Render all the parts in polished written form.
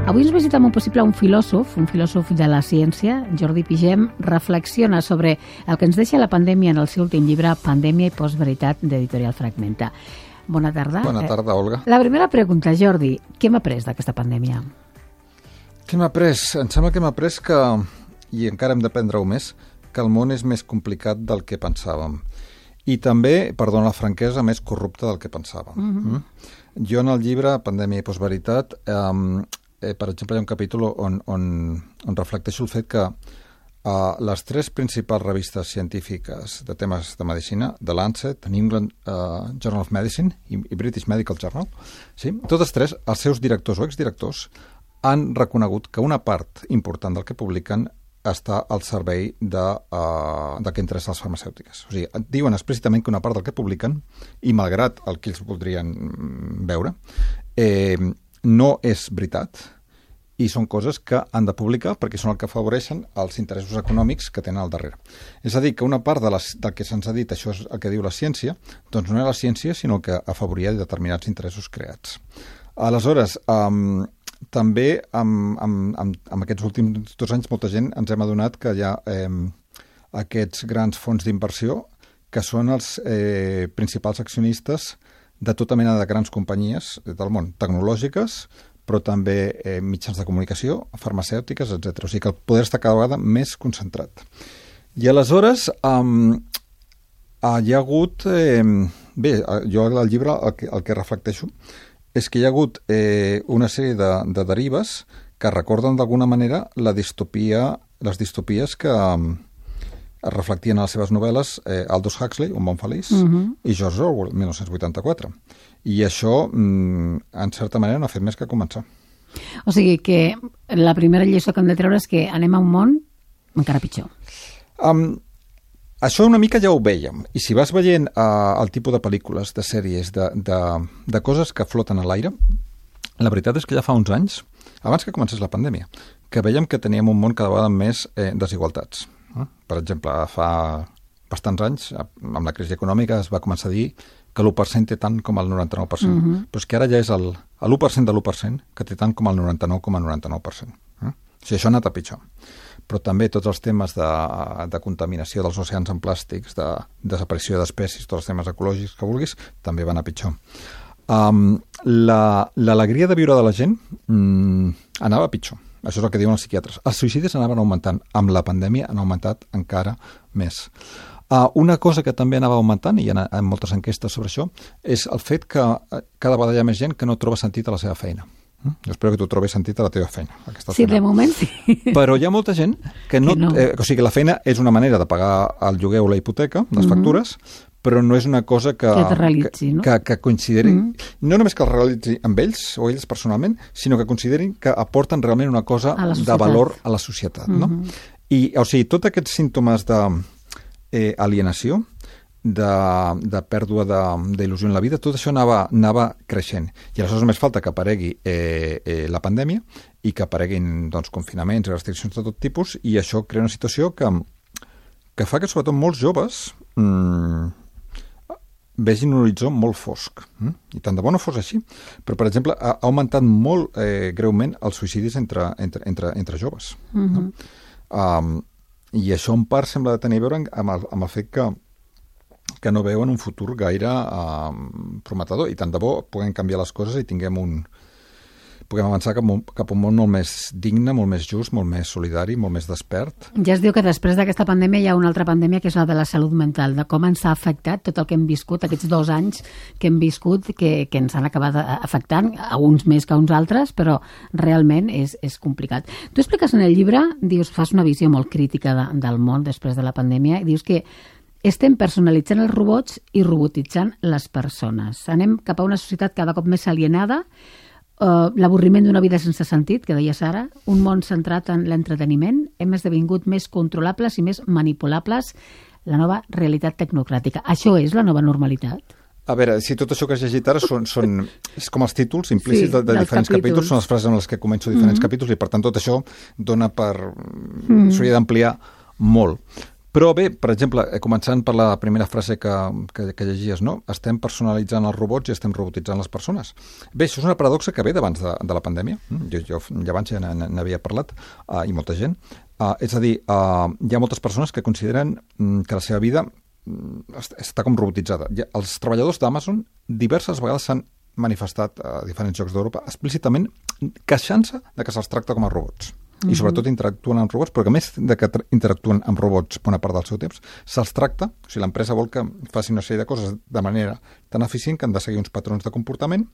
Avui ens visita molt possible un filòsof de la ciència, Jordi Pigem, reflexiona sobre el que ens deixa la pandèmia en el seu últim llibre, Pandèmia i postveritat, d'Editorial Fragmenta. Bona tarda. Bona tarda, Olga. La primera pregunta, Jordi, què hem après d'aquesta pandèmia? Què hem après? Em sembla que hem après que, i encara hem d'aprendre-ho més, que el món és més complicat del que pensàvem. I també, perdona la franquesa, més corrupte del que pensàvem. Jo en el llibre, Pandèmia i postveritat, per exemple, hi ha un capítol on reflecteixo el fet que les tres principals revistes científiques de temes de medicina, The Lancet, New England Journal of Medicine i British Medical Journal, sí? Totes tres, els seus directors o exdirectors han reconegut que una part important del que publiquen està al servei del que interessa les farmacèutiques. O sigui, diuen explícitament que una part del que publiquen, i malgrat el que ells voldrien veure, no és veritat, i són coses que han de publicar perquè són el que afavoreixen els interessos econòmics que tenen al darrere. És a dir, que una part del que se'ns ha dit, això és el que diu la ciència, doncs no és la ciència, sinó que afavoria determinats interessos creats. Aleshores, també amb aquests últims 2 anys molta gent ens hem adonat que hi ha aquests grans fons d'inversió que són els principals accionistes de tota mena de grans companyies del món, tecnològiques, però també mitjans de comunicació, farmacèutiques, etc. O sigui que el poder està cada vegada més concentrat. I aleshores hi ha hagut... Bé, jo al llibre el que reflecteixo és que hi ha hagut una sèrie de derives que recorden d'alguna manera les distopies que es reflectien a les seves novel·les Aldous Huxley, Un món feliç, i George Orwell, 1984. I això, en certa manera, no ha fet més que començar. O sigui que la primera lliçó que hem de treure és que anem a un món encara pitjor. Això una mica ja ho vèiem. I si vas veient el tipus de pel·lícules, de sèries, de coses que floten a l'aire, la veritat és que ja fa uns anys, abans que comencés la pandèmia, que vèiem que teníem un món cada vegada amb més desigualtats. Per exemple, fa bastants anys, amb la crisi econòmica, es va començar a dir que l'1% té tant com el 99%. Però és que ara ja és l'1% de l'1% que té tant com el 99,99%. O sigui, això ha anat a pitjor. Però també tots els temes de contaminació dels oceans amb plàstics, de desaparició d'espècies, tots els temes ecològics que vulguis, també van a pitjor. L'alegria de viure de la gent anava a pitjor. Això és el que diuen els psiquiatres. Els suïcidis anaven augmentant. Amb la pandèmia han augmentat encara més. Una cosa que també anava augmentant, i hi ha moltes enquestes sobre això, és el fet que cada vegada hi ha més gent que no troba sentit a la seva feina. Jo espero que tu trobis sentit a la teva feina. Sí, de moment sí. Però hi ha molta gent que no... O sigui, que la feina és una manera de pagar el lloguer o la hipoteca, les factures, però no és una cosa que realitzi, no? Que considerin, no només que el realitzi amb ells o ells personalment, sinó que considerin que aporten realment una cosa de valor a la societat. No? I, o sigui, tots aquests símptomes d'alienació, de pèrdua d'il·lusió en la vida, tot això anava creixent. I aleshores només falta que aparegui la pandèmia i que apareguin confinaments i restriccions de tot tipus, i això crea una situació que fa que sobretot molts joves vegin un horitzó molt fosc. I tant de bo no fos així. Però, per exemple, ha augmentat molt greument els suïcidis entre joves. I això en part sembla tenir a veure amb el fet que no veuen un futur gaire prometedor. I tant de bo puguem canviar les coses i puguem avançar cap a un món molt més digne, molt més just, molt més solidari, molt més despert. Ja es diu que després d'aquesta pandèmia hi ha una altra pandèmia que és la de la salut mental, de com ens ha afectat tot el que hem viscut, aquests 2 anys que hem viscut, que ens han acabat afectant, a uns més que a uns altres, però realment és complicat. Tu expliques en el llibre, dius, fas una visió molt crítica del món després de la pandèmia, i dius que estem personalitzant els robots i robotitzant les persones. Anem cap a una societat cada cop més alienada, l'avorriment d'una vida sense sentit, que deies ara, un món centrat en l'entreteniment, hem esdevingut més controlables i més manipulables, la nova realitat tecnocràtica. Això és la nova normalitat? A veure, si tot això que has llegit ara és com els títols implícits de diferents capítols, són les frases amb les que començo diferents capítols, i per tant tot això dona s'hauria d'ampliar molt. Però bé, per exemple, començant per la primera frase que llegies, no? Estem personalitzant els robots i estem robotitzant les persones. Bé, això és una paradoxa que ve d'abans de la pandèmia. Jo abans ja n'havia parlat, i molta gent. És a dir, hi ha moltes persones que consideren que la seva vida està com robotitzada. Els treballadors d'Amazon diverses vegades s'han manifestat a diferents llocs d'Europa explícitament queixant-se de que se'ls tracta com a robots. I sobretot interactuen amb robots, però que més de que interactuen amb robots bona part del seu temps, se'ls tracta, o sigui, l'empresa vol que faci una sèrie de coses de manera tan eficient que han de seguir uns patrons de comportament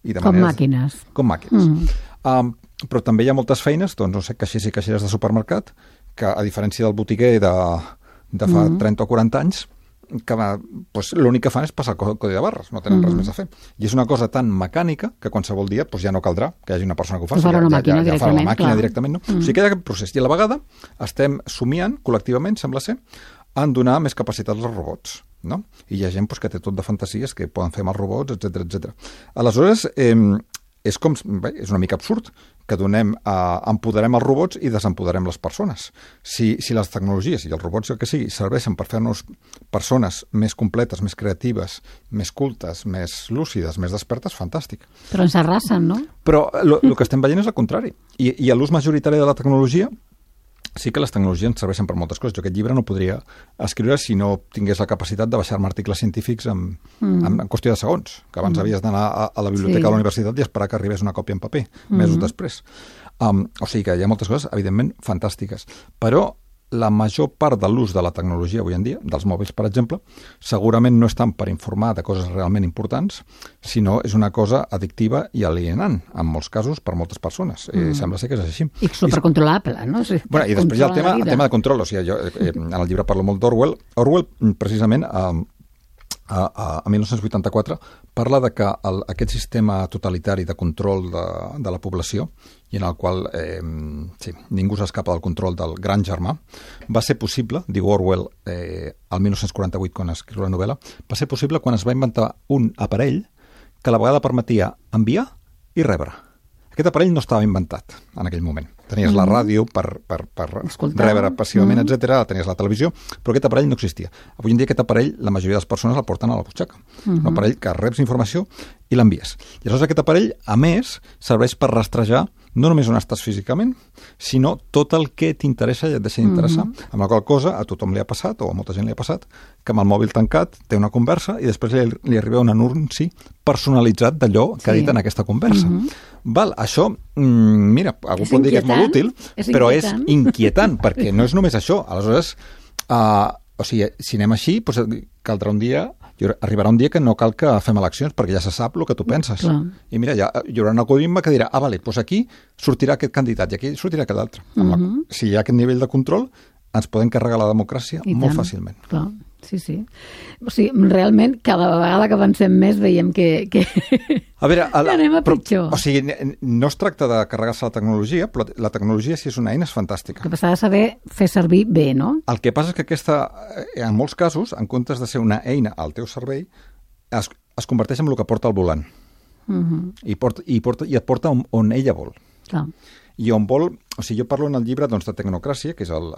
i de com màquines. Com màquines. Però també hi ha moltes feines, doncs, no sé, caixers i caixeres de supermercat, que a diferència del botiguer de fa 30 o 40 anys, que l'únic que fan és passar el codi de barres, no tenen res més a fer. I és una cosa tan mecànica que qualsevol dia ja no caldrà que hi hagi una persona que ho faci. Ja farà la màquina directament, no? O sigui que hi ha aquest procés. I a la vegada estem somiant, col·lectivament, sembla ser, en donar més capacitats als robots, no? I hi ha gent que té tot de fantasies que poden fer amb els robots, etc. Aleshores, és una mica absurd que empoderem els robots i desempoderem les persones. Si les tecnologies i els robots, el que sigui, serveixen per fer-nos persones més completes, més creatives, més cultes, més lúcides, més despertes, fantàstic. Però ens arrasen, no? Però el que estem veient és el contrari. I l'ús majoritari de la tecnologia, sí que les tecnologies ens serveixen per moltes coses. Jo aquest llibre no podria escriure si no tingués la capacitat de baixar-me articles científics en qüestió de segons, que abans havies d'anar a la biblioteca de la universitat i esperar que arribés una còpia en paper, mesos després. O sigui que hi ha moltes coses, evidentment, fantàstiques. Però la major part de l'ús de la tecnologia avui en dia, dels mòbils, per exemple, segurament no és tant per informar de coses realment importants, sinó és una cosa addictiva i alienant, en molts casos, per moltes persones. Sembla ser que és així. I supercontrolable, no? Sí, I després hi ha el tema de control. O sigui, jo en el llibre parlo molt d'Orwell. Orwell, precisament, a 1984, parla de que aquest sistema totalitari de control de la població i en el qual ningú s'escapa del control del gran germà, va ser possible, diu Orwell, el 1948, quan escriu la novel·la, va ser possible quan es va inventar un aparell que a la vegada permetia enviar i rebre. Aquest aparell no estava inventat en aquell moment. Tenies la ràdio per rebre passivament, etc. Tenies la televisió, però aquest aparell no existia. Avui en dia aquest aparell, la majoria de les persones el porten a la butxaca. Un aparell que reps informació i l'envies. I aleshores aquest aparell, a més, serveix per rastrejar no només on estàs físicament, sinó tot el que t'interessa i et deixa d'interessar. Amb la qual cosa a tothom li ha passat, o a molta gent li ha passat, que amb el mòbil tancat té una conversa i després li arriba un anunci personalitzat d'allò que ha dit en aquesta conversa. Val, això, mira, algú pot dir que és molt útil, però és inquietant, perquè no és només això. Aleshores, o sigui, si anem així, doncs caldrà un dia, arribarà un dia que no cal que fem eleccions, perquè ja se sap el que tu penses. Clar. I mira, hi haurà un algoritme que dirà, vale, doncs aquí sortirà aquest candidat i aquí sortirà aquest altre. Si hi ha aquest nivell de control, ens podem carregar la democràcia molt fàcilment. Clar, sí. O sigui, realment, cada vegada que avancem més veiem que a veure, anem a pitjor. O sigui, no es tracta de carregar-se la tecnologia, però la tecnologia, si és una eina, és fantàstica. El que s'ha de saber fer servir bé, no? El que passa és que aquesta, en molts casos, en comptes de ser una eina al teu servei, es converteix en el que porta al volant. I et porta on ella vol. Clar. I on vol, o sigui, jo parlo en el llibre de tecnocràcia, que és el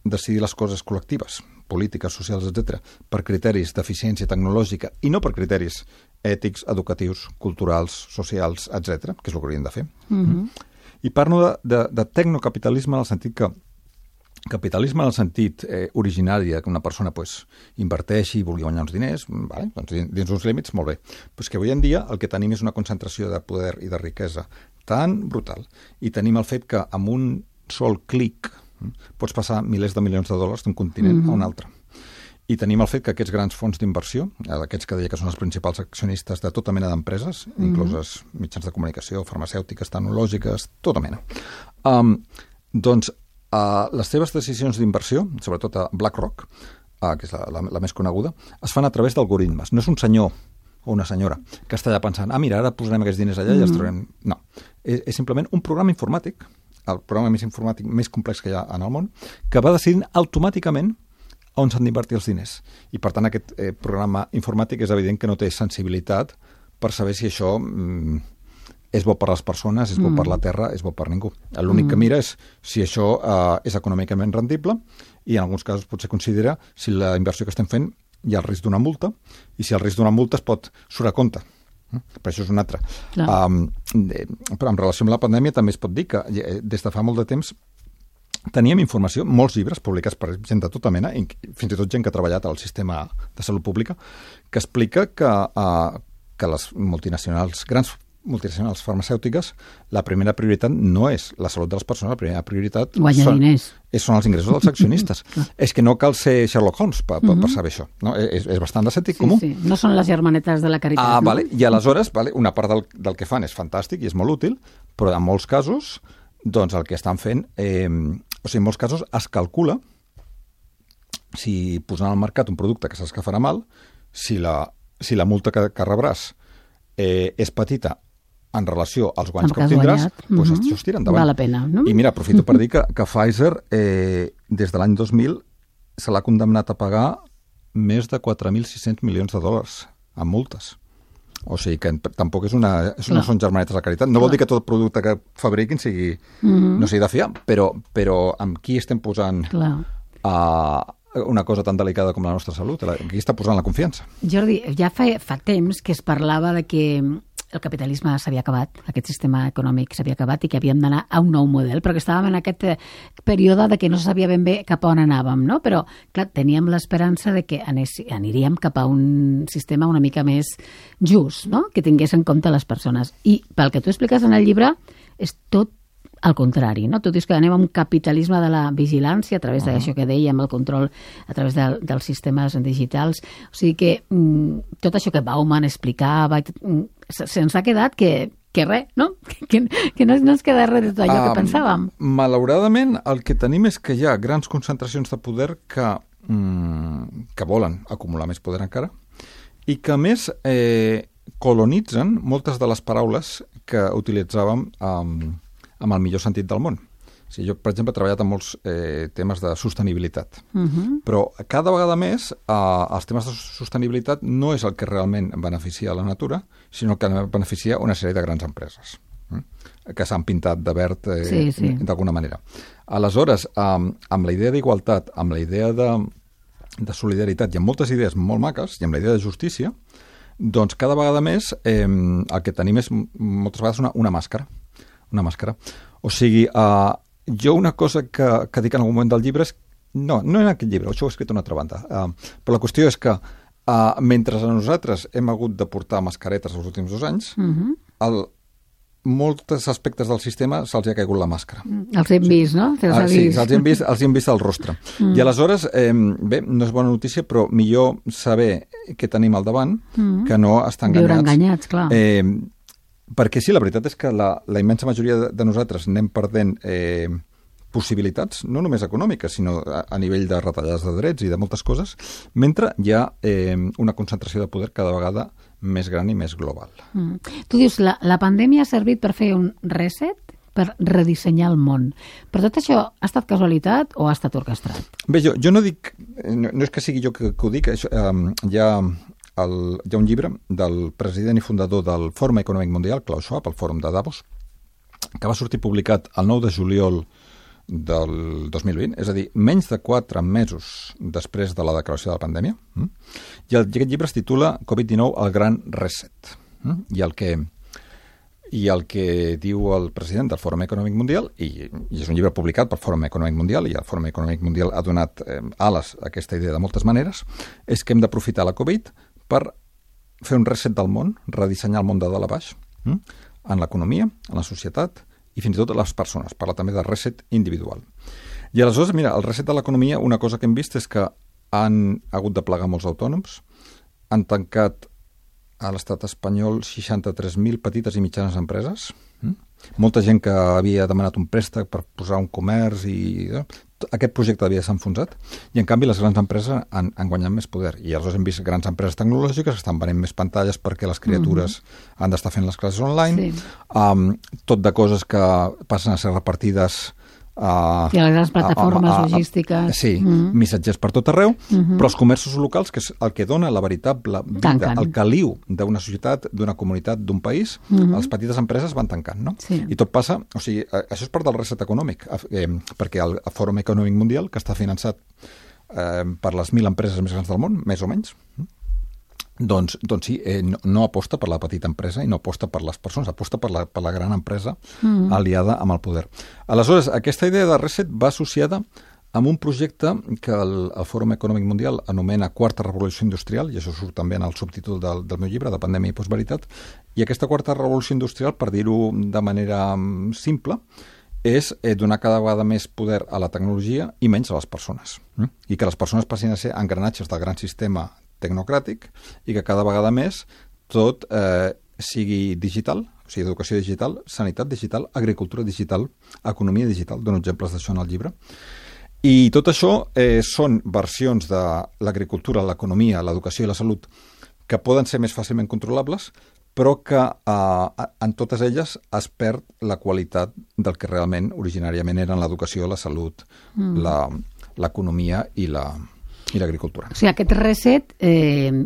decidir les coses col·lectives, polítiques, socials, etc., per criteris d'eficiència tecnològica i no per criteris ètics, educatius, culturals, socials, etc., que és el que hauríem de fer. I parlo de tecnocapitalisme en el sentit que capitalisme en el sentit originari que una persona inverteixi i vulgui guanyar uns diners, doncs dins uns límits, molt bé. Però és que avui en dia el que tenim és una concentració de poder i de riquesa tan brutal i tenim el fet que amb un sol clic pots passar milers de milions de dòlars d'un continent a un altre. I tenim el fet que aquests grans fons d'inversió, aquests que deia que són els principals accionistes de tota mena d'empreses, incloses mitjans de comunicació, farmacèutiques, tecnològiques, tota mena, doncs les seves decisions d'inversió, sobretot a BlackRock, que és la més coneguda, es fan a través d'algoritmes. No és un senyor o una senyora que està allà pensant, mira, ara posarem aquests diners allà i els traurem. No, és simplement un programa informàtic, el programa més informàtic més complex que hi ha en el món, que va decidint automàticament on s'han d'invertir els diners. I, per tant, aquest programa informàtic és evident que no té sensibilitat per saber si això és bo per les persones, és bo per la terra, és bo per ningú. L'únic que mira és si això és econòmicament rendible i en alguns casos potser considera si la inversió que estem fent hi ha el risc d'una multa i si el risc d'una multa es pot surt a compte. Per això és un altre. Però en relació amb la pandèmia també es pot dir que des de fa molt de temps teníem informació, molts llibres publicats per gent de tota mena, fins i tot gent que ha treballat al sistema de salut pública, que explica que les grans multinacionals farmacèutiques, la primera prioritat no és la salut de les persones, la primera prioritat són els ingressos dels accionistes. És que no cal ser Sherlock Holmes per saber això. No? És bastant de sentit comú. Sí. No són les germanetes de la caritat. Vale. I aleshores, una part del que fan és fantàstic i és molt útil, però en molts casos doncs el que estan fent, en molts casos es calcula si posant al mercat un producte que saps que farà mal, si la multa que rebràs és petita en relació als guanys que obtindràs, doncs això es tira endavant. Val la pena, no? I mira, aprofito per dir que Pfizer des de l'any 2000 se l'ha condemnat a pagar més de 4.600 milions de dòlars en multes. O sigui que tampoc no són germanetes de caritat. No vol dir que tot producte que fabriquin no sigui de fiar, però amb qui estem posant una cosa tan delicada com la nostra salut? Qui està posant la confiança? Jordi, ja fa temps que es parlava de que el capitalisme s'havia acabat, aquest sistema econòmic s'havia acabat i que havíem d'anar a un nou model, però que estàvem en aquest període de que no se sabia ben bé cap a on anàvem, no? Però, clar, teníem l'esperança de que aniríem cap a un sistema una mica més just, no? Que tingués en compte les persones. I pel que tu expliques en el llibre, és tot al contrari, no? Tu dius que anem a un capitalisme de la vigilància a través d'això que dèiem, el control a través dels sistemes digitals. O sigui que tot això que Bauman explicava se'ns ha quedat que res, no? Que no ens queda res de tot allò que pensàvem. Malauradament, el que tenim és que hi ha grans concentracions de poder que volen acumular més poder encara i que, a més, colonitzen moltes de les paraules que utilitzàvem amb el millor sentit del món. O sigui, jo, per exemple, he treballat en molts temes de sostenibilitat, però cada vegada més els temes de sostenibilitat no és el que realment beneficia la natura, sinó el que beneficia una sèrie de grans empreses que s'han pintat de verd d'alguna manera. Aleshores, amb la idea d'igualtat, amb la idea de solidaritat i amb moltes idees molt maques i amb la idea de justícia, doncs cada vegada més el que tenim és moltes vegades una màscara. Una màscara. O sigui, jo una cosa que dic en algun moment del llibre és... No en aquest llibre, això ho he escrit a una altra banda. Però la qüestió és que mentre nosaltres hem hagut de portar mascaretes els últims 2 anys, molts aspectes del sistema se'ls ha caigut la màscara. Els hem vist, no? Sí, els hem vist al rostre. I aleshores, bé, no és bona notícia, però millor saber què tenim al davant que no estar enganyats. Viure enganyats, clar. Perquè sí, la veritat és que la immensa majoria de nosaltres anem perdent possibilitats, no només econòmiques, sinó a nivell de retallades de drets i de moltes coses, mentre hi ha una concentració de poder cada vegada més gran i més global. Tu dius, la pandèmia ha servit per fer un reset, per redissenyar el món. Però tot això ha estat casualitat o ha estat orquestrat? Bé, jo no dic... No és que sigui jo que ho dic, hi ha un llibre del president i fundador del Fòrum Econòmic Mundial, Klaus Schwab, el Fòrum de Davos, que va sortir publicat el 9 de juliol del 2020, és a dir, menys de 4 mesos després de la declaració de la pandèmia, i aquest llibre es titula Covid-19, el gran reset. I el que diu el president del Fòrum Econòmic Mundial, i és un llibre publicat pel Fòrum Econòmic Mundial, i el Fòrum Econòmic Mundial ha donat ales a aquesta idea de moltes maneres, és que hem d'aprofitar la Covid per fer un reset del món, redissenyar el món de dalt a baix, en l'economia, en la societat i fins i tot les persones. Parla també del reset individual. I aleshores, mira, el reset de l'economia, una cosa que hem vist és que han hagut de plegar molts autònoms, han tancat a l'estat espanyol 63.000 petites i mitjanes empreses, molta gent que havia demanat un préstec per posar un comerç i aquest projecte havia s'enfonsat, i en canvi les grans empreses han guanyat més poder. I aleshores hem vist grans empreses tecnològiques que estan venent més pantalles perquè les criatures han d'estar fent les classes online, tot de coses que passen a ser repartides I les grans plataformes logístiques. Sí, missatgers per tot arreu, però els comerços locals, que és el que dona la veritable vida, el caliu d'una societat, d'una comunitat, d'un país, les petites empreses van tancant, no? Sí. I tot passa, o sigui, això és part del reset econòmic, perquè el Fòrum Econòmic Mundial, que està finançat per les 1.000 empreses més grans del món, més o menys, doncs sí, no aposta per la petita empresa i no aposta per les persones, aposta per la gran empresa aliada amb el poder. Aleshores, aquesta idea de reset va associada amb un projecte que el Fòrum Econòmic Mundial anomena Quarta Revolució Industrial, i això surt també en el subtítol del meu llibre, de Pandèmia i Postveritat, i aquesta Quarta Revolució Industrial, per dir-ho de manera simple, és donar cada vegada més poder a la tecnologia i menys a les persones. I que les persones passin a ser engranatges del gran sistema tecnocràtic i que cada vegada més tot sigui digital, o sigui, educació digital, sanitat digital, agricultura digital, economia digital, dono exemples d'això en el llibre. I tot això són versions de l'agricultura, l'economia, l'educació i la salut que poden ser més fàcilment controlables, però que en totes elles es perd la qualitat del que realment originàriament eren l'educació, la salut, l'economia i l'agricultura. O sigui, aquest reset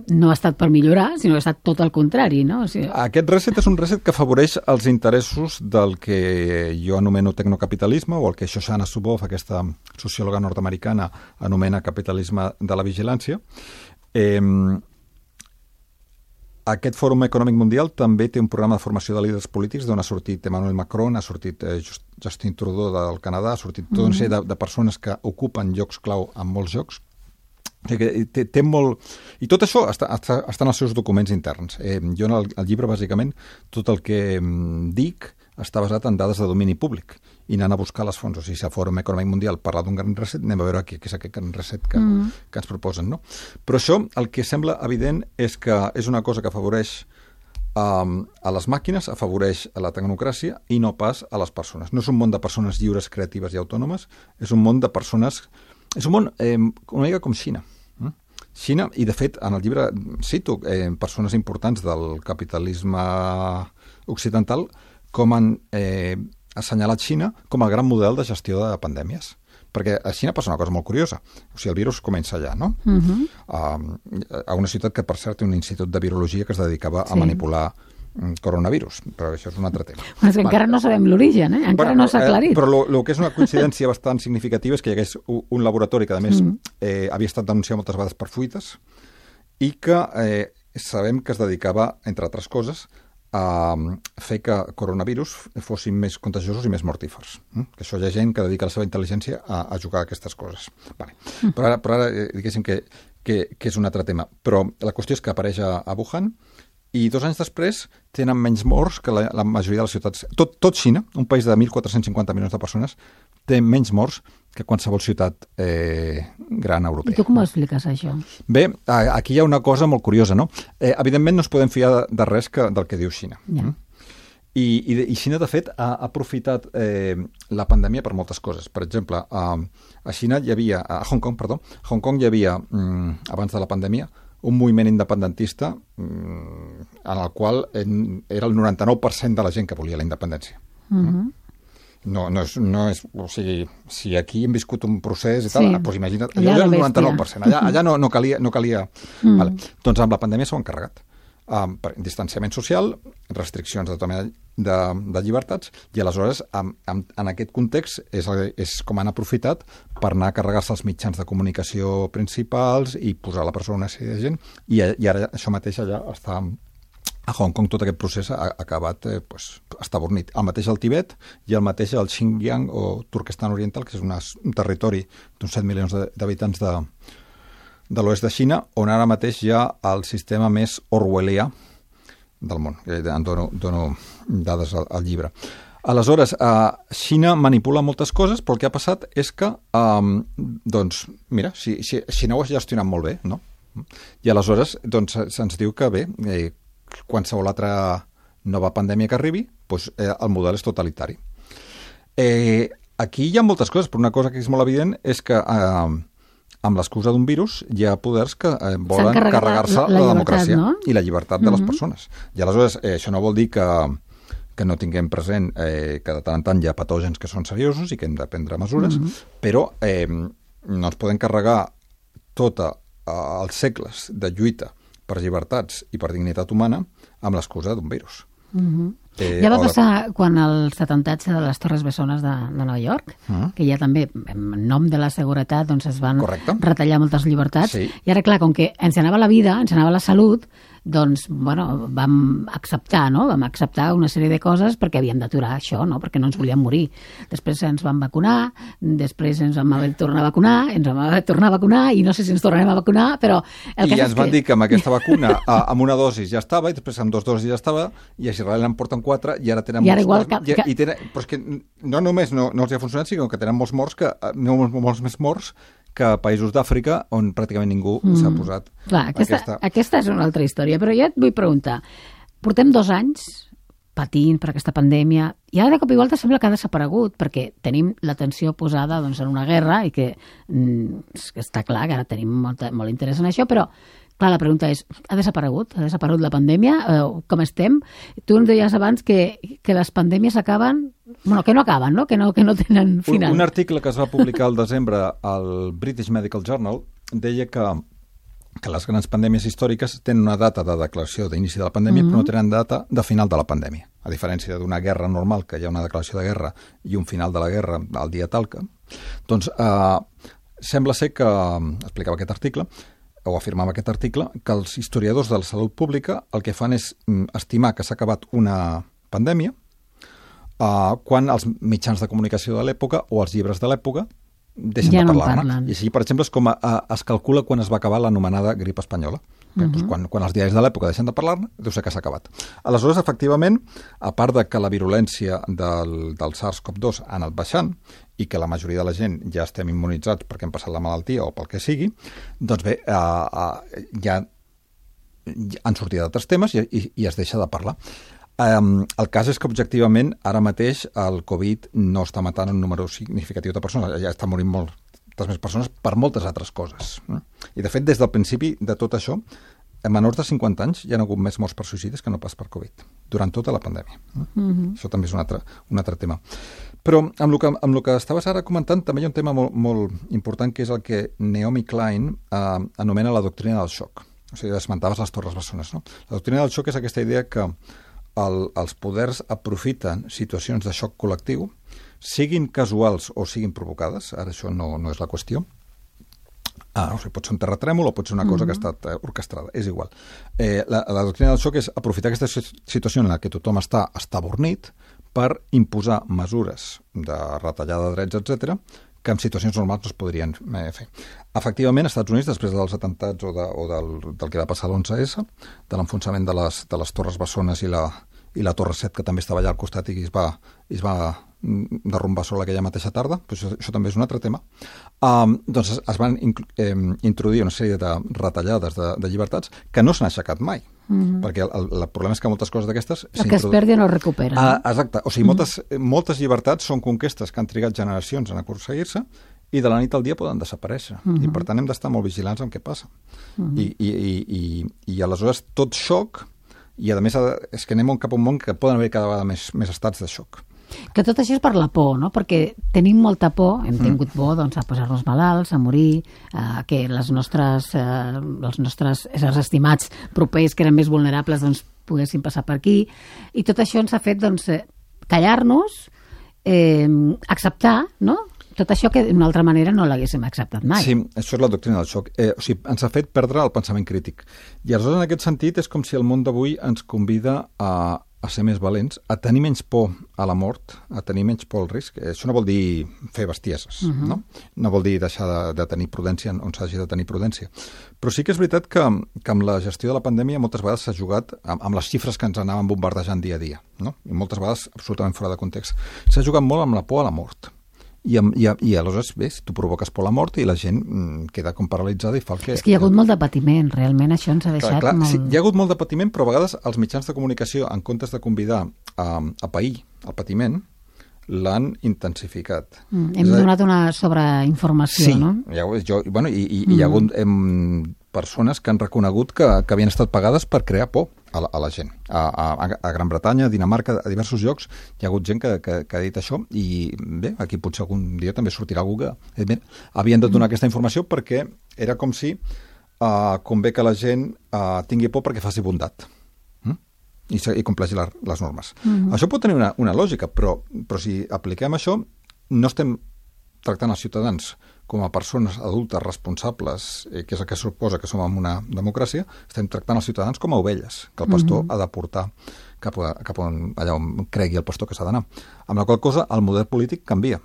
no ha estat per millorar, sinó que ha estat tot el contrari, no? O sigui... Aquest reset és un reset que afavoreix els interessos del que jo anomeno tecnocapitalisme, o el que Shoshana Zuboff, aquesta sociòloga nord-americana, anomena capitalisme de la vigilància. Aquest Fòrum Econòmic Mundial també té un programa de formació de líders polítics d'on ha sortit Emmanuel Macron, ha sortit Justin Trudeau del Canadà, ha sortit tot una sèrie de persones que ocupen llocs clau en molts llocs. Té molt... I tot això està en els seus documents interns. Jo en el llibre, bàsicament, tot el que dic està basat en dades de domini públic i anant a buscar les fonts. O sigui, si el Fòrum Econòmic Mundial parla d'un gran reset, anem a veure què és aquest gran reset que ens proposen, no? Però això, el que sembla evident és que és una cosa que afavoreix a les màquines, afavoreix a la tecnocràcia i no pas a les persones. No és un món de persones lliures, creatives i autònomes, és un món de persones... És un món una mica com Xina. Xina, i de fet en el llibre cito persones importants del capitalisme occidental com han assenyalat Xina com el gran model de gestió de pandèmies. Perquè a Xina passa una cosa molt curiosa. O sigui, el virus comença allà, no? A una ciutat que, per cert, té un institut de virologia que es dedicava a manipular coronavirus, però això és un altre tema. Bueno, és que encara no sabem l'origen, encara no s'ha aclarit. Però el que és una coincidència bastant significativa és que hi hagués un laboratori que, a més, havia estat denunciat moltes vegades per fuites i que sabem que es dedicava, entre altres coses, a fer que coronavirus fossin més contagiosos i més mortífers. Que això hi ha gent que dedica la seva intel·ligència a jugar a aquestes coses. Vale. Però ara diguéssim que és un altre tema. Però la qüestió és que apareix a Wuhan i 2 anys després tenen menys morts que la majoria de les ciutats. Tot Xina, un país de 1.450 milions de persones, té menys morts que qualsevol ciutat gran europea. I tu com ho expliques, això? Bé, aquí hi ha una cosa molt curiosa, no? Evidentment no ens podem fiar de res del que diu Xina. Ja. I Xina, de fet, ha aprofitat la pandèmia per moltes coses. Per exemple, a Xina hi havia, a Hong Kong hi havia, abans de la pandèmia, un moviment independentista en el qual era el 99% de la gent que volia la independència. No és, o sigui, si aquí hem viscut un procés i tal, doncs imagina't, allà era el 99%, allà no calia. Vale. Doncs amb la pandèmia s'ho han carregat. Distanciament social, restriccions de llibertats, i aleshores en aquest context és com han aprofitat per anar a carregar-se els mitjans de comunicació principals i posar a la presó una sèrie de gent, i ara això mateix allà està a Hong Kong. Tot aquest procés ha acabat estabornit. El mateix al Tibet i el mateix al Xinjiang o Turquestan Oriental, que és un territori d'uns 7 milions d'habitants de l'oest de Xina, on ara mateix hi ha el sistema més orwellià del món. En dono dades al llibre. Aleshores, Xina manipula moltes coses, però el que ha passat és que, doncs, mira, Xina ho ha gestionat molt bé, no? I aleshores se'ns diu que bé, qualsevol altra nova pandèmia que arribi, doncs el model és totalitari. Aquí hi ha moltes coses, però una cosa que és molt evident és que amb l'excusa d'un virus hi ha poders que volen carregar-se la democràcia, no? I la llibertat de les persones. I aleshores això no vol dir que que no tinguem present que de tant en tant hi ha patògens que són seriosos i que hem de prendre mesures, però no ens podem carregar tots els segles de lluita per llibertats i per dignitat humana amb l'excusa d'un virus. Ja va passar quan els atemptats de les Torres Bessones de Nova York, que ja també, en nom de la seguretat, doncs es van retallar moltes llibertats. I ara, clar, com que ens anava la vida, ens anava la salut, doncs, bueno, vam acceptar, no? Vam acceptar una sèrie de coses perquè havíem d'aturar això, no? Perquè no ens volíem morir. Després ens van vacunar, després ens vam haver de tornar a vacunar, ens vam haver de tornar a vacunar, i no sé si ens tornarem a vacunar, però... I ens van dir que amb aquesta vacuna, amb una dosi ja estava, i després amb 2 dosis ja estava, i a Israel en porten 4, i ara tenen molts morts. Però és que no només no els ha funcionat, sinó que tenen molts morts, molts més morts que a països d'Àfrica on pràcticament ningú s'ha posat. Clar, aquesta és una altra història, però jo et vull preguntar, portem 2 anys patint per aquesta pandèmia i ara de cop i volta sembla que ha desaparegut perquè tenim l'atenció posada doncs, en una guerra i que està clar que ara tenim molt interès en això, però clar, la pregunta és, ha desaparegut la pandèmia? Com estem? Tu ens deies abans que les pandèmies acaben... Bueno, que no acaben, no? Que no tenen final. Un article que es va publicar al desembre al British Medical Journal deia que les grans pandèmies històriques tenen una data de declaració d'inici de la pandèmia, però no tenen data de final de la pandèmia. A diferència d'una guerra normal, que hi ha una declaració de guerra i un final de la guerra al dia tal que... Doncs sembla ser que, explicava aquest article, o afirmava aquest article, que els historiadors de la salut pública el que fan és estimar que s'ha acabat una pandèmia quan els mitjans de comunicació de l'època o els llibres de l'època deixen de parlar-ne. I així, per exemple, és com es calcula quan es va acabar l'anomenada grip espanyola. Doncs quan els diaris de l'època deixen de parlar-ne, deu ser que s'ha acabat. Aleshores, efectivament, a part de que la virulència del SARS-CoV-2 ha anat baixant i que la majoria de la gent ja estem immunitzats perquè hem passat la malaltia o pel que sigui, doncs bé, ja han sortit d'altres temes i es deixa de parlar. El cas és que, objectivament, ara mateix el Covid no està matant un número significatiu de persones, ja està morint moltes més persones per moltes altres coses. I, de fet, des del principi de tot això, a menors de 50 anys hi ha hagut més morts per suïcidis que no pas per Covid, durant tota la pandèmia. Això també és un altre tema. Però amb el que estaves ara comentant també hi ha un tema molt important, que és el que Naomi Klein anomena la doctrina del xoc. O sigui, esmentaves les Torres Bessones, no? La doctrina del xoc és aquesta idea que els poders aprofiten situacions de xoc col·lectiu, siguin casuals o siguin provocades, ara això no és la qüestió. O sigui, pot ser un terratrèmol o pot ser una cosa que ha estat orquestrada, és igual. La doctrina del xoc és aprofitar aquesta situació en la que tothom està abornit per imposar mesures de retallada de drets, etc., que en situacions normals no es podrien fer. Efectivament, als Estats Units, després dels atemptats o del que va passar l'11S, de l'enfonsament de les Torres Bessones i la Torre 7, que també estava allà al costat i es va derrumbar sobre aquella mateixa tarda, doncs això també és un altre tema, doncs es van introduir una sèrie de retallades de llibertats que no s'han aixecat mai. Perquè el problema és que moltes coses d'aquestes... El que es perdi no es recupera. Exacte. O sigui, moltes llibertats són conquestes que han trigat generacions en aconseguir-se i de la nit al dia poden desaparèixer. I per tant hem d'estar molt vigilants amb què passa. I aleshores tot xoc, i a més és que anem cap a un món que poden haver cada vegada més estats de xoc. Que tot això és per la por, no? Perquè tenim molta por, hem tingut por doncs, a posar-nos malalts, a morir, que els nostres éssers estimats propers, que eren més vulnerables, doncs, poguessin passar per aquí. I tot això ens ha fet doncs, callar-nos, acceptar, no? Tot això que d'una altra manera no l'haguéssim acceptat mai. Sí, això és la doctrina del xoc. O sigui, ens ha fet perdre el pensament crític. I aleshores, en aquest sentit, és com si el món d'avui ens convida a ser més valents, a tenir menys por a la mort, a tenir menys por al risc. Això no vol dir fer bestieses, no? No vol dir deixar de tenir prudència on s'hagi de tenir prudència. Però sí que és veritat que amb la gestió de la pandèmia moltes vegades s'ha jugat amb les xifres que ens anaven bombardejant dia a dia, no? I moltes vegades absolutament fora de context. S'ha jugat molt amb la por a la mort. I aleshores, bé, tu provoques por a la mort i la gent queda com paralitzada i fa el que... És que hi ha hagut molt de patiment, realment això ens ha deixat molt... Sí, hi ha hagut molt de patiment, però a vegades els mitjans de comunicació, en comptes de convidar a pair el patiment, l'han intensificat. Hem donat una sobreinformació, no? Sí, hi ha hagut persones que han reconegut que havien estat pagades per crear por a la gent. A Gran Bretanya, a Dinamarca, a diversos llocs, hi ha hagut gent que ha dit això i bé, aquí potser algun dia també sortirà algú que havien de donar aquesta informació perquè era com si convé que la gent tingui por perquè faci bondat i compleixi les normes. Això pot tenir una lògica, però si apliquem això, no estem tractant els ciutadans com a persones adultes responsables, que és el que suposa que som en una democràcia, estem tractant els ciutadans com a ovelles, que el pastor ha de portar cap on, allà on cregui el pastor que s'ha d'anar. Amb la qual cosa, el model polític canvia.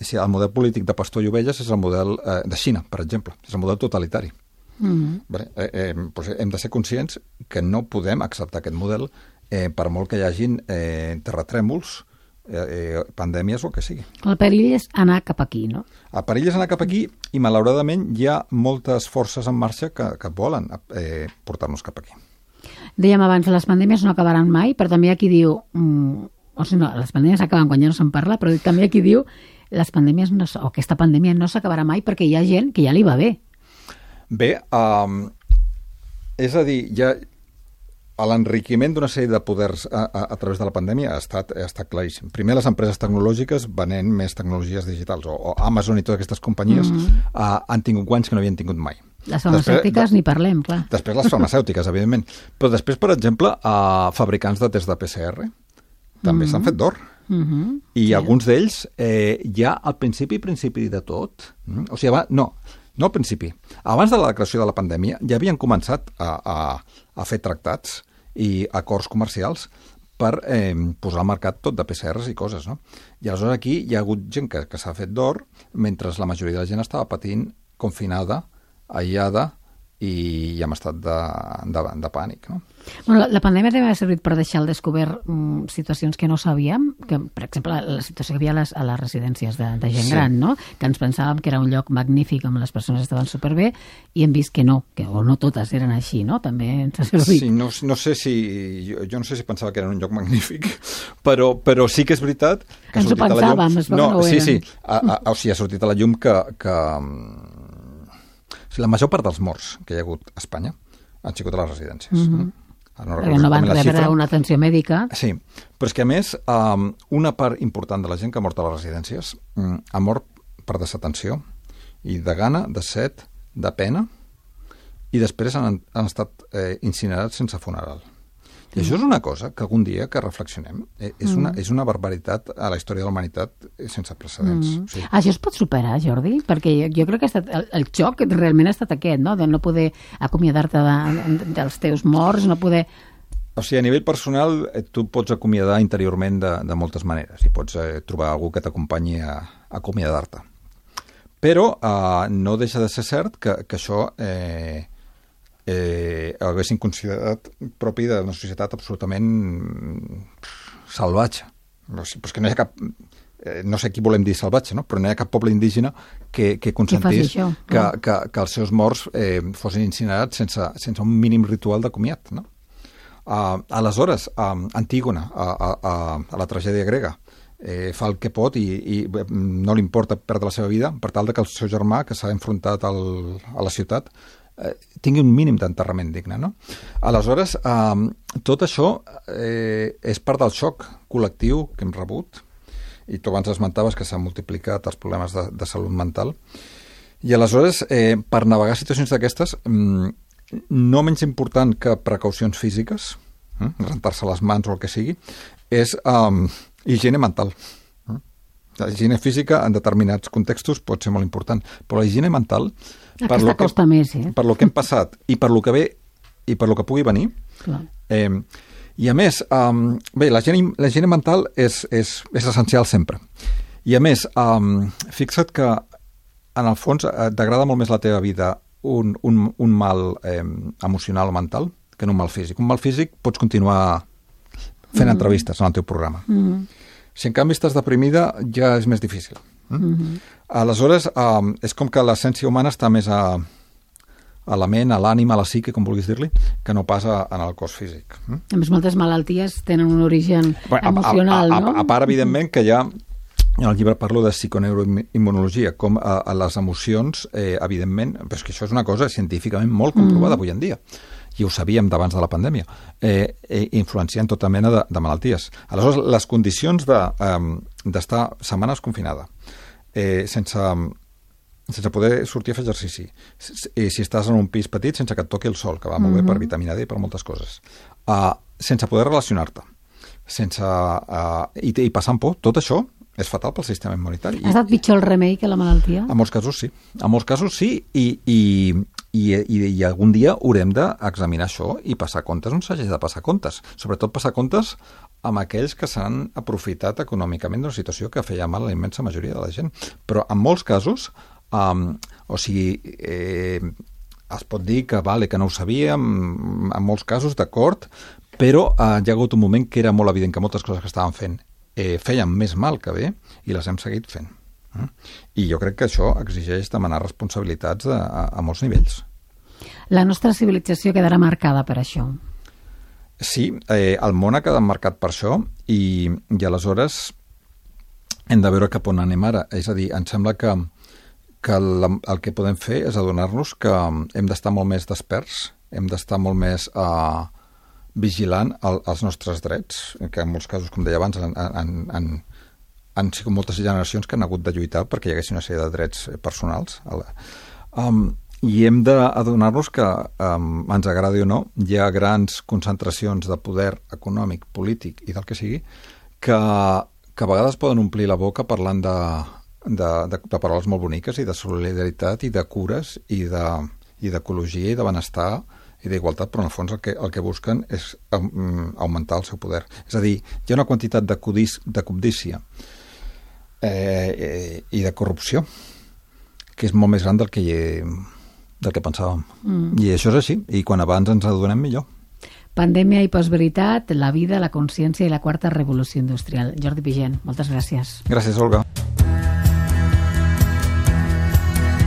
El model polític de pastor i ovelles és el model de Xina, per exemple. És el model totalitari. Doncs hem de ser conscients que no podem acceptar aquest model per molt que hi hagin terratrèmols, pandèmies o el que sigui. El perill és anar cap aquí, no? El perill és anar cap aquí i, malauradament, hi ha moltes forces en marxa que volen portar-nos cap aquí. Dèiem abans, les pandèmies no acabaran mai, però també hi ha qui diu... les pandèmies acaben quan ja no se'n parla, però també hi ha qui diu les pandèmies o aquesta pandèmia no s'acabarà mai perquè hi ha gent que ja li va bé. Bé, és a dir, l'enriquiment d'una sèrie de poders a través de la pandèmia ha estat claríssim. Primer, les empreses tecnològiques venent més tecnologies digitals, o Amazon i totes aquestes companyies han tingut guanys que no havien tingut mai. Les farmacèutiques ni parlem, clar. Després les farmacèutiques, evidentment. Però després, per exemple, fabricants de test de PCR també s'han fet d'or. I alguns d'ells ja al principi de tot, o sigui, no al principi. Abans de la declaració de la pandèmia ja havien començat a fer tractats i acords comercials per posar al mercat tot de PCRs i coses, no? I aleshores aquí hi ha hagut gent que s'ha fet d'or mentre la majoria de la gent estava patint confinada, aïllada i amb estat de pànic, no? Bueno, la pandèmia també ha servit per deixar al descobert situacions que no sabíem, que, per exemple, la situació que hi havia a les residències de gent gran, no? Que ens pensàvem que era un lloc magnífic on les persones estaven superbé i hem vist que no, o no totes eren així, no? També ens ha servit. Sí, no sé si... Jo no sé si pensava que era un lloc magnífic, però sí que és veritat que ens ho pensàvem, es veu que no ho eren. Sí, o sigui, ha sortit a la llum que la major part dels morts que hi ha hagut a Espanya han sigut a les residències. Perquè no van rebre una atenció mèdica. Sí, però és que a més una part important de la gent que ha mort a les residències ha mort per desatenció i de gana, de set, de pena i després han estat incinerats sense funeral. I això és una cosa que algun dia que reflexionem és una barbaritat a la història de la humanitat sense precedents. Sí. Això es pot superar, Jordi? Perquè jo crec que el xoc realment ha estat aquest, no? De no poder acomiadar-te dels teus morts, no poder... O sigui, a nivell personal, tu pots acomiadar interiorment de moltes maneres i pots trobar algú que t'acompanyi a acomiadar-te. Però no deixa de ser cert que això... haguessin considerat propi d'una societat absolutament salvatge. Però és que no hi ha cap... no sé qui volem dir salvatge, no? Però no hi ha cap poble indígena que consentís que els seus morts fossin incinerats sense un mínim ritual de comiat, no? Aleshores, Antígona, a la tragèdia grega, fa el que pot i no li importa perdre la seva vida per tal que el seu germà, que s'ha enfrontat a la ciutat, tingui un mínim d'enterrament digne, no? Aleshores, tot això és part del xoc col·lectiu que hem rebut i tu abans esmentaves que s'han multiplicat els problemes de salut mental i aleshores, per navegar situacions d'aquestes, no menys important que precaucions físiques, rentar-se les mans o el que sigui, és higiene mental. La higiene física en determinats contextos pot ser molt important, però la higiene mental per lo que hem passat i per lo que ve i per lo que pugui venir. I a més, bé, la higiene mental és essencial sempre. I a més, fixa't que en el fons t'agrada molt més la teva vida un mal emocional o mental que no un mal físic. Un mal físic pots continuar fent entrevistes en el teu programa. Si en canvi estàs deprimida ja és més difícil. Aleshores, és com que l'essència humana està més a la ment, a l'ànima, a la psique, com vulguis dir-li, que no passa en el cos físic. A més, moltes malalties tenen un origen emocional, no? A part, evidentment, que hi ha en el llibre parlo de psiconeuroimmunologia, com a les emocions, evidentment, però és que això és una cosa científicament molt comprovada avui en dia, i ho sabíem d'abans de la pandèmia, influencien tota mena de malalties. Aleshores, les condicions d'estar setmanes confinada, sense poder sortir a fer exercici, si estàs en un pis petit sense que et toqui el sol, que va molt bé per vitamina D i per moltes coses, sense poder relacionar-te, i passant por, tot això és fatal pel sistema immunitari. Ha estat pitjor el remei que la malaltia? En molts casos sí. En molts casos sí, i algun dia haurem d'examinar això i passar comptes on s'hagi de passar comptes. Sobretot passar comptes amb aquells que s'han aprofitat econòmicament d'una situació que feia mal a la immensa majoria de la gent. Però en molts casos, es pot dir que que no ho sabíem, en molts casos, d'acord, però hi ha hagut un moment que era molt evident que moltes coses que estàvem fent feien més mal que bé i les hem seguit fent. I jo crec que això exigeix demanar responsabilitats a molts nivells. La nostra civilització quedarà marcada per això. Sí, el món ha quedat marcat per això i aleshores hem de veure cap on anem ara. És a dir, em sembla que el que podem fer és adonar-nos que hem d'estar molt més desperts, hem d'estar molt més vigilant els nostres drets, que en molts casos, com deia abans, han sigut moltes generacions que han hagut de lluitar perquè hi hagués una sèrie de drets personals. I hem d'adonar-nos que, ens agradi o no, hi ha grans concentracions de poder econòmic, polític i del que sigui, que a vegades poden omplir la boca parlant de paraules molt boniques i de solidaritat i de cures i d'ecologia i de benestar i d'igualtat, però en el fons el que busquen és augmentar el seu poder. És a dir, hi ha una quantitat de cobdícia i de corrupció que és molt més gran del que pensàvem. I això és així, i quan abans ens adonem millor. Pandèmia i postveritat, la vida, la consciència i la quarta revolució industrial. Jordi Pigent, moltes gràcies. Gràcies, Olga.